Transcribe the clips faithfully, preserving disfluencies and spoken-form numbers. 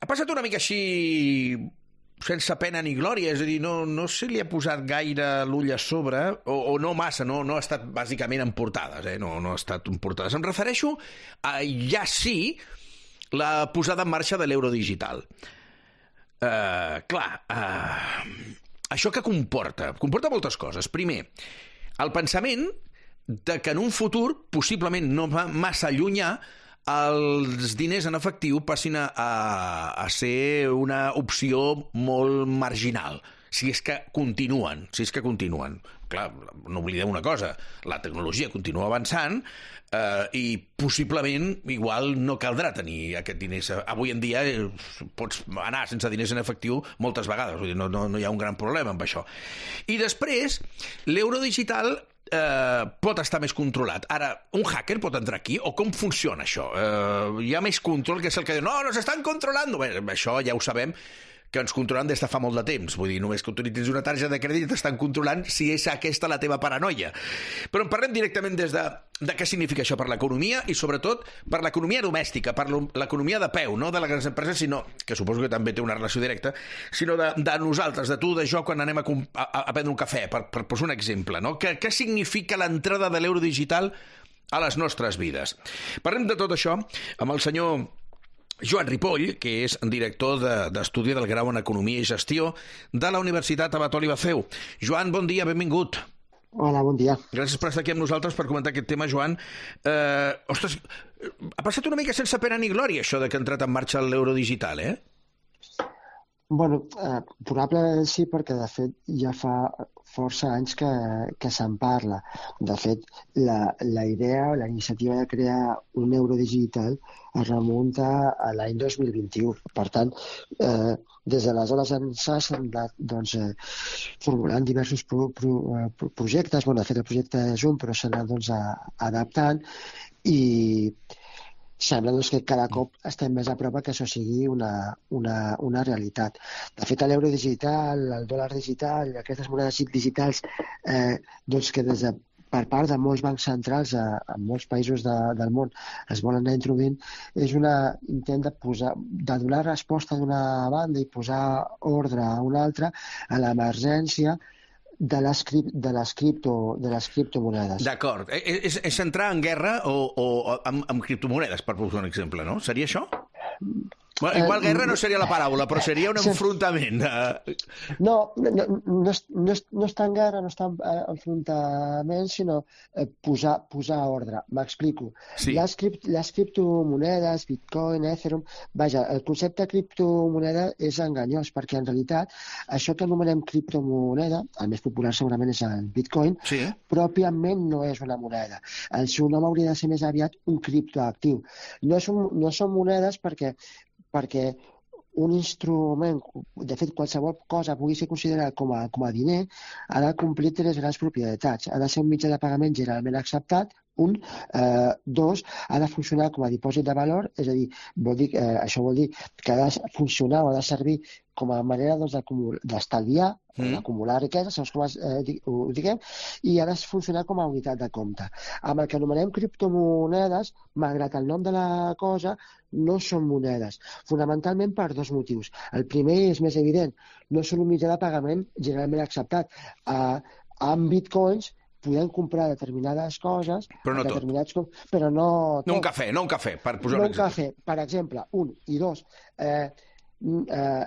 ha passat una mica així sense pena ni glòria, és a dir, no, no se li ha posat gaire l'ull a sobre, o, o no massa, no, no ha estat bàsicament en portades, eh? no, no ha estat en portades. Em refereixo a, ja sí, la posada en marxa de l'euro digital. Uh, clar, uh, això que comporta? Comporta moltes coses. Primer, el pensament de que en un futur, possiblement no va massa llunyà, els diners en efectiu passin a, a, a ser una opció molt marginal, si és que continuen, si és que continuen. Clar, no oblidem una cosa, la tecnologia continua avançant eh, i possiblement igual no caldrà tenir aquest diners. Avui en dia eh, pots anar sense diners en efectiu moltes vegades, vull dir, no, no, no hi ha un gran problema amb això. I després, l'euro digital Eh, pot estar més controlat. Ara, un hacker pot entrar aquí? O com funciona això? Eh, hi ha més control que és el que diu no, nos estan controlant. Bé, això ja ho sabem, que ens controlen des de fa molt de temps. Vull dir, només que utilitzis una targeta de crèdit t'estan controlant si és aquesta la teva paranoia. Però en parlem directament des de, de què significa això per l'economia i sobretot per l'economia domèstica, per l'economia de peu, no de les grans empreses, sinó, que suposo que també té una relació directa, sinó de, de nosaltres, de tu, de jo, quan anem a, a, a prendre un cafè, per, per posar un exemple, no? Què, què significa l'entrada de l'euro digital a les nostres vides? Parlem de tot això amb el senyor Joan Ripoll, que és director d'Estudi del Grau en Economia i Gestió de la Universitat Abat Oliba C E U. Joan, bon dia, benvingut. Hola, bon dia. Gràcies per estar aquí amb nosaltres per comentar aquest tema, Joan. Eh, ostres, ha passat una mica sense pena ni glòria això de que ha entrat en marxa l'euro digital, eh? Bueno, eh, probablement sí, perquè de fet ja fa força anys que, que se'n parla. De fet, la, la idea o la iniciativa de crear un euro digital es remunta a l'any dos mil vint-i-u. Per tant, eh, des d'aleshores s'ha anat doncs, eh, formulant diversos pro, pro, pro, projectes. Bueno, de fet, el projecte és un, però s'ha anat doncs, a, adaptant i sembla doncs, que cada cop estem més a prop que això sigui una, una, una realitat. De fet, l'euro digital, el dòlar digital, aquestes monedes digitals eh, doncs que des de, per part de molts bancs centrals a, a molts països de, del món es volen anar introduint, és un intent de, posar, de donar resposta d'una banda i posar ordre a una altra a l'emergència de les, de les, cripto, de les criptomonedes. D'acord. És, és entrar en guerra o, o amb, amb criptomonedes, per posar un exemple, no? Seria això? Bueno, igual guerra no seria la paraula, però seria un enfrontament. No, no, no, és, no, és, no està en guerra, no està en enfrontament, sinó posar, posar ordre. M'explico. Sí. Les, cript, les criptomonedes, Bitcoin, Ethereum... Vaja, el concepte de criptomoneda és enganyós, perquè en realitat això que anomenem criptomoneda, el més popular segurament és el Bitcoin, sí. Pròpiament no és una moneda. El seu nom hauria de ser més aviat un criptoactiu. No, és un, no són monedes perquè perquè un instrument, de fet qualsevol cosa pugui ser considerada com a, com a diner, ha de complir tres grans propietats. Ha de ser un mitjà de pagament generalment acceptat, un, eh, dos, ha de funcionar com a dipòsit de valor, és a dir, vol dir eh, això vol dir que ha de funcionar o ha de servir com a manera doncs, d'estalviar, mm. d'acumular riquesa, segons com es, eh, ho diguem, i ha de funcionar com a unitat de compte. Amb el que anomenem criptomonedes, malgrat el nom de la cosa, no són monedes, fonamentalment per dos motius. El primer és més evident, no són un mitjà de pagament generalment acceptat. Uh, amb bitcoins podem comprar determinades coses, però no determinats tot. Com, però no tot. No un cafè, no un cafè, per posar no un exemple. No un cafè, per exemple, un. I dos, eh, eh,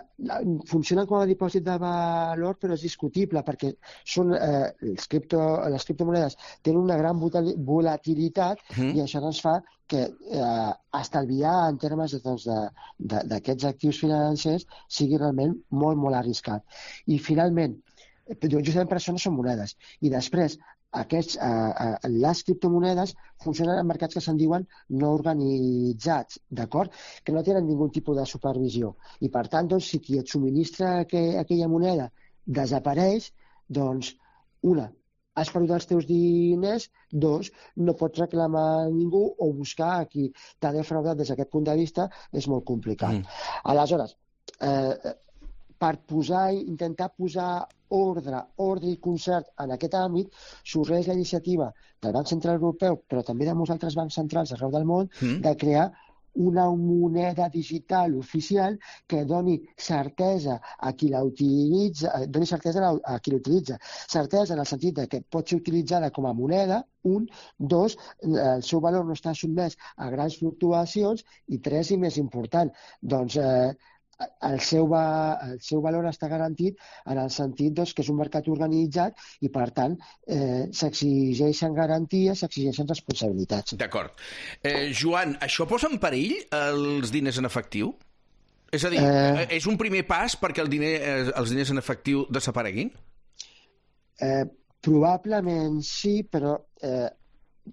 funcionen com a dipòsit de valor, però és discutible perquè són, eh, les, cripto, les criptomonedes tenen una gran volatilitat mm. i això ens fa que eh, estalviar en termes doncs, d'aquests actius financers sigui realment molt, molt arriscat. I finalment, justament per això no són monedes. I després, aquests, eh, eh, les criptomonedes funcionen en mercats que se'n diuen no organitzats, d'acord? Que no tenen ningú tipus de supervisió. I per tant, doncs, si qui et subministra aqu aquella moneda desapareix, doncs, una, has perdut els teus diners, dos, no pots reclamar a ningú o buscar a qui t'ha defraudat des d'aquest punt de vista és molt complicat. Mm. Aleshores, eh, per posar, intentar posar ordre, ordre i concert en aquest àmbit, sorgeix la iniciativa del Banc Central Europeu, però també de molts altres bancs centrals arreu del món, mm. de crear una moneda digital oficial que doni certesa a qui la utilitza, doni certesa a qui l'utilitza. Certesa en el sentit de que pot ser utilitzada com a moneda, un, dos, el seu valor no està sotmès a grans fluctuacions, i tres, i més important, doncs eh, el seu, va, el seu valor està garantit en el sentit doncs, que és un mercat organitzat i, per tant, eh, s'exigeixen garanties, s'exigeixen responsabilitats. D'acord. Eh, Joan, això posa en perill els diners en efectiu? És a dir, eh... és un primer pas perquè el diner, els diners en efectiu desapareguin? Eh, probablement sí, però eh,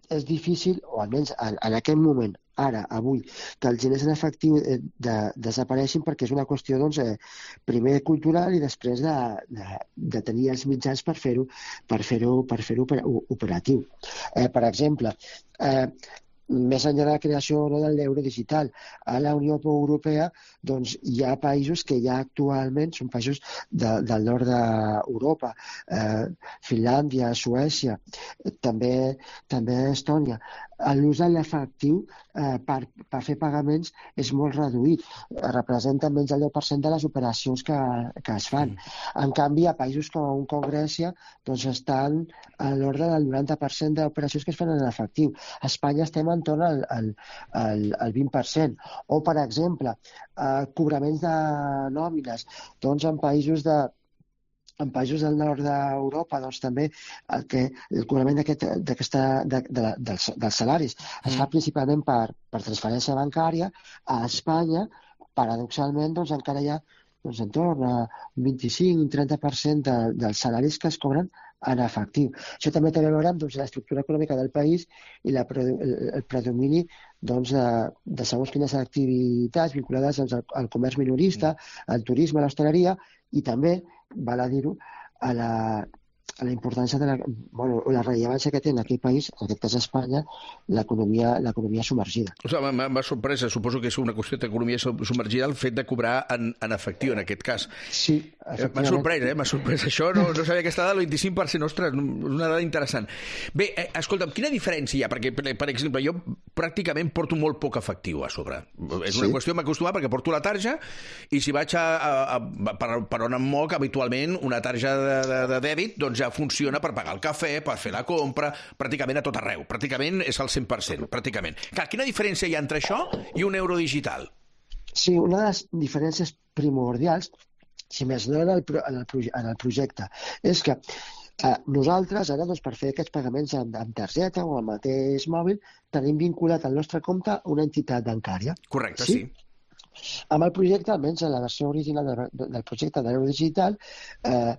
és difícil, o almenys en, en aquest moment, ara, avui, que els diners en efectiu eh, de, desapareixin, perquè és una qüestió, doncs, eh, primer cultural i després de, de, de tenir els mitjans per fer-ho per fer-ho per fer-ho operatiu. Eh, per exemple, eh, més enllà de la creació no, de l'euro digital, a la Unió Europea doncs, hi ha països que ja actualment són països de, del nord d'Europa, eh, Finlàndia, Suècia, també, també Estònia. L'ús de l'efectiu eh, per, per fer pagaments és molt reduït. Representa menys del deu per cent de les operacions que, que es fan. En canvi, a països com, com Grècia doncs estan a l'ordre del noranta per cent d'operacions que es fan en efectiu. A Espanya estem entorn al, al, al, al vint per cent. O, per exemple, eh, cobraments de nòmines doncs en països de en països del nord d'Europa, doncs també el, que, el cobrament d'aquest, d'aquesta, de, de, de, dels, dels salaris es fa principalment per, per transferència bancària. A Espanya, paradoxalment, doncs encara hi ha doncs, entorn a vint-i-cinc a trenta per cent de, dels salaris que es cobren en efectiu. Això també té a veure amb doncs, l'estructura econòmica del país i la, el, el predomini doncs, de, de segons quines activitats vinculades doncs, al, al comerç minorista, al turisme, a l'hostaleria, i també, val a dir-ho, a la, a la importància de la, bueno, la rellevància que té en aquell país, en aquest cas Espanya, l'economia l'economia submergida. O sigui, m'ha sorprès, suposo que és una qüestió d'economia submergida el fet de cobrar en, en efectiu, en aquest cas. Sí, m'ha sorprès, eh? M'ha sorprès això, no, no sabia aquesta dada del vint-i-cinc per cent, ostres, una dada interessant. Bé, eh, escolta'm, quina diferència hi ha? Perquè, per, per exemple, jo pràcticament porto molt poc efectiu a sobre. És una sí. qüestió m'acostumar perquè porto la tarja i si vaig a, a, a, per, per on em moc, habitualment, una tarja de, de, de dèbit, doncs ja funciona per pagar el cafè, per fer la compra, pràcticament a tot arreu. Pràcticament és al cent per cent, pràcticament. Clar, quina diferència hi ha entre això i un euro digital? Sí, una de les diferències primordials, si més no en el, en el, en el projecte, és que eh, nosaltres ara, doncs, per fer aquests pagaments amb, amb targeta o amb el mateix mòbil, tenim vinculat el nostre compte a una entitat bancària. Correcte, sí. sí. Amb el projecte, almenys en la versió original del projecte de l'euro digital, eh,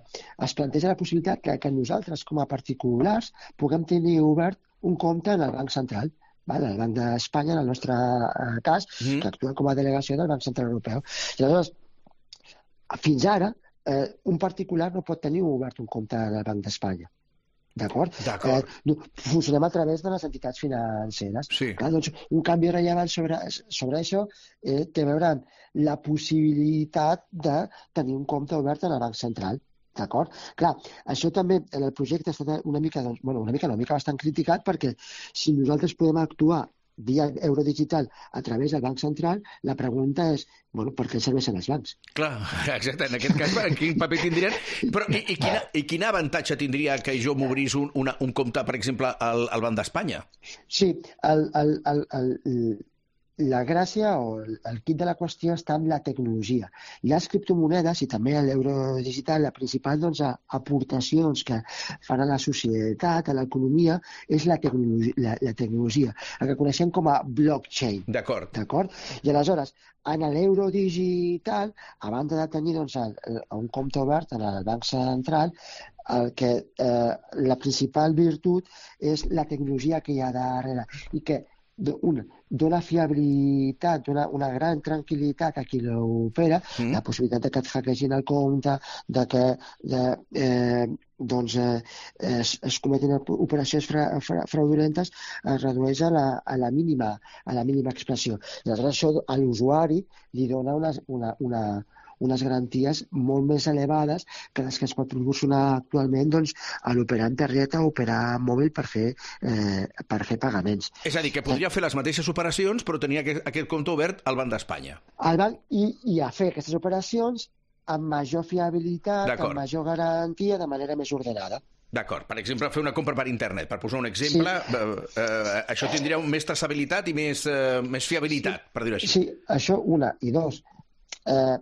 es planteja la possibilitat que, que nosaltres, com a particulars, puguem tenir obert un compte en el Banc Central, val? El Banc d'Espanya, en el nostre eh, cas, mm. que actua com a delegació del Banc Central Europeu. I aleshores, fins ara, eh, un particular no pot tenir obert un compte en el Banc d'Espanya. D'acord? D'acord. Eh, funcionem a través de les entitats financeres. Sí. Clar, doncs, un canvi rellevant sobre, sobre això eh, té a veure amb la possibilitat de tenir un compte obert en el Banc Central. D'acord? Clar, això també en el projecte està una mica, doncs, bueno, una mica, una mica bastant criticat, perquè si nosaltres podem actuar via euro digital a través del Banc Central, la pregunta és, bueno, per què serveixen els bancs? Clar, exacte, en aquest cas, quin paper tindrien? Però i, i, quina, i quin avantatge tindria que jo m'obrís un, una, un compte, per exemple, al, al Banc d'Espanya? Sí, el, el, el, el, la gràcia o el quid de la qüestió està en la tecnologia. Les criptomonedes i també l'euro digital, la principal doncs, aportacions que fan a la societat, a l'economia, és la tecnologia, la, la tecnologia, el que coneixem com a blockchain. D'acord. D'acord? I aleshores, en l'euro digital, a banda de tenir doncs, el, el, un compte obert en el Banc Central, el que, eh, la principal virtut és la tecnologia que hi ha darrere i que una, dona fiabilitat, dona una gran tranquil·litat a qui l'opera, mm. la possibilitat de que et hackegin el compte, de que de, eh, doncs, eh, es, es cometin operacions fra, fra, fraudulentes, es redueix a la, a la, mínima, a la mínima expressió. I aleshores això a l'usuari li dona una, una, una, unes garanties molt més elevades que les que es pot proporcionar actualment doncs, a l'operar en targeta o operar mòbil per fer, eh, per fer pagaments. És a dir, que podria fer les mateixes operacions però tenia aquest, aquest compte obert al Banc d'Espanya. Al banc i, i a fer aquestes operacions amb major fiabilitat, amb major garantia, de manera més ordenada. D'acord. Per exemple, fer una compra per internet, per posar un exemple, sí. eh, eh, això tindria més traçabilitat i més, eh, més fiabilitat, sí. per dir-ho així. Sí, això una. I dos, eh,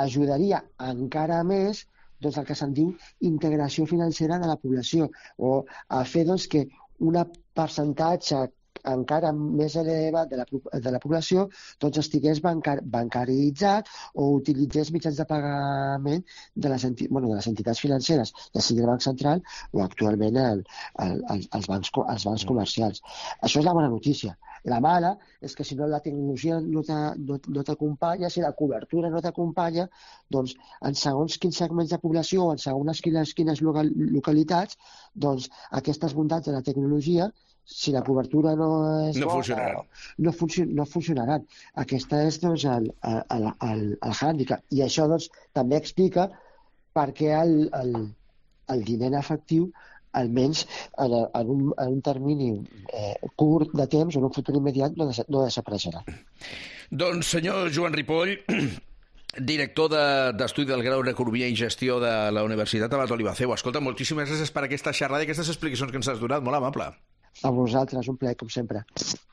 ajudaria encara més doncs, el que se'n diu integració financera de la població, o a fer doncs, que un percentatge encara més elevat de la, de la població doncs estigués bancar, bancaritzat o utilitzés mitjans de pagament de les, enti, bueno, de les entitats financeres, ja sigui el Banc Central o actualment el, el, el, els, bancs, els bancs comercials. Això és la bona notícia. La mala és que si no la tecnologia no t'acompanya, si la cobertura no t'acompanya, doncs en segons quins segments de població o en segons quines, quines localitats, doncs aquestes bondats de la tecnologia, si la cobertura no és no bona, funcionaran. No, funcio no funcionaran. Aquesta és doncs, el, el, el, el hàndicap. I això doncs, també explica per què el, el, el diner en efectiu, almenys en, en, un, en un termini eh, curt de temps o en un futur immediat, no, des no desapareixerà. Doncs, senyor Joan Ripoll, director d'Estudi de, del Grau en Economia i Gestió de la Universitat Abat Olivaceu. Escolta, moltíssimes gràcies per aquesta xerrada i aquestes explicacions que ens has donat. Molt amable. A vosaltres, un plaer, com sempre.